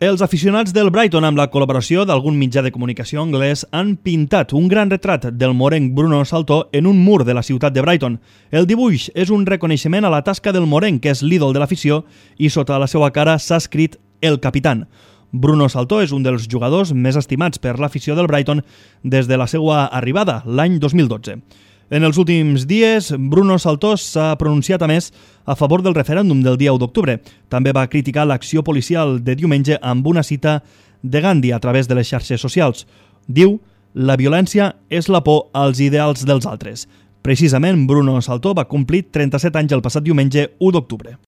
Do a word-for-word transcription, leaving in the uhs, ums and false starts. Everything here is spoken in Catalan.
Els aficionats del Brighton, amb la col·laboració d'algun mitjà de comunicació anglès, han pintat un gran retrat del morenc Bruno Saltó en un mur de la ciutat de Brighton. El dibuix és un reconeixement a la tasca del morenc, que és l'ídol de l'afició, i sota la seva cara s'ha escrit El Capitán. Bruno Saltó és un dels jugadors més estimats per l'afició del Brighton des de la seva arribada, l'any dos mil dotze. En els últims dies, Bruno Saltó s'ha pronunciat a més a favor del referèndum del dia u d'octubre. També va criticar l'acció policial de diumenge amb una cita de Gandhi a través de les xarxes socials. Diu: «La violència és la por als ideals dels altres». Precisament, Bruno Saltó va complir trenta-set anys el passat diumenge u d'octubre.